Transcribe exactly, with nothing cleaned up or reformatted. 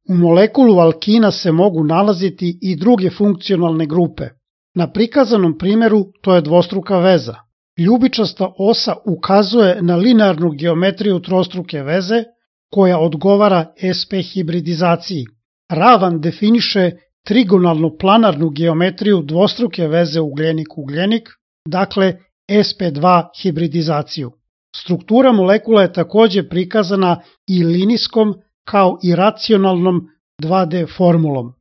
U molekulu alkina se mogu nalaziti i druge funkcionalne grupe. Na prikazanom primjeru to je dvostruka veza. Ljubičasta osa ukazuje na linearnu geometriju trostruke veze koja odgovara S P hibridizaciji. Ravan definiše trigonalno-planarnu geometriju dvostruke veze ugljenik-ugljenik, dakle S P dva hibridizaciju. Struktura molekula je takođe prikazana i linijskom kao i racionalnom dva D formulom.